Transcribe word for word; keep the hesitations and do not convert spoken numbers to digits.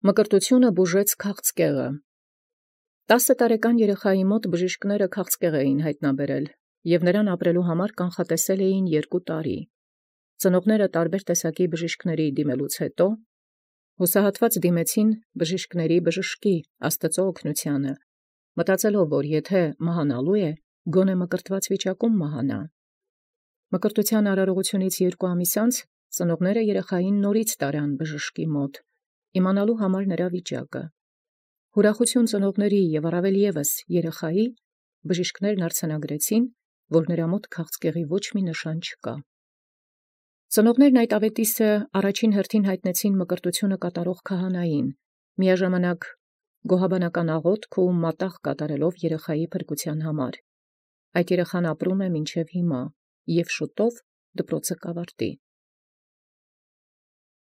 Մկրտութիւնը բուժեց քաղցկեղը։ Տասը տարեկան երեխայի մոտ բժիշկները քաղցկեղ էին յայտնաբերել, և նրան ապրելու համար կանխատեսել էին երկու տարի։ Ծնողները տարբեր տեսակի բժիշկների դիմելուց հետո հուսահատված դիմեցին բժիշկների բժշկի Աստծո օգնութիւնը, մտածելով, որ եթե մահանալու է, գոնե մկրտված վիճակում մահանա։ Մկրտութեան արարողութիւնից երկու ամիս անց ծնողները երեխային նորից տարան բժշկի մոտ, իմանալու համար նրա վիճակը։ Ուրախութիւն ծնողների և առավել ևս երեխայի, բժիշկներն արձանագրեցին, որ նրա մոտ քաղցկեղի ոչ մի նշան չկա։ Ծնողներն այդ աւետիսը առաջին հերթին յայտնեցին մկրտութիւնը կատարող քահանային, միաժամանակ գոհաբանական աղոթք ու մատաղ կատարելով երեխայի փրկութեան համար։ Այդ երեխան ապրում է մինչև հիմա և շուտով դպրոցը կավարտի։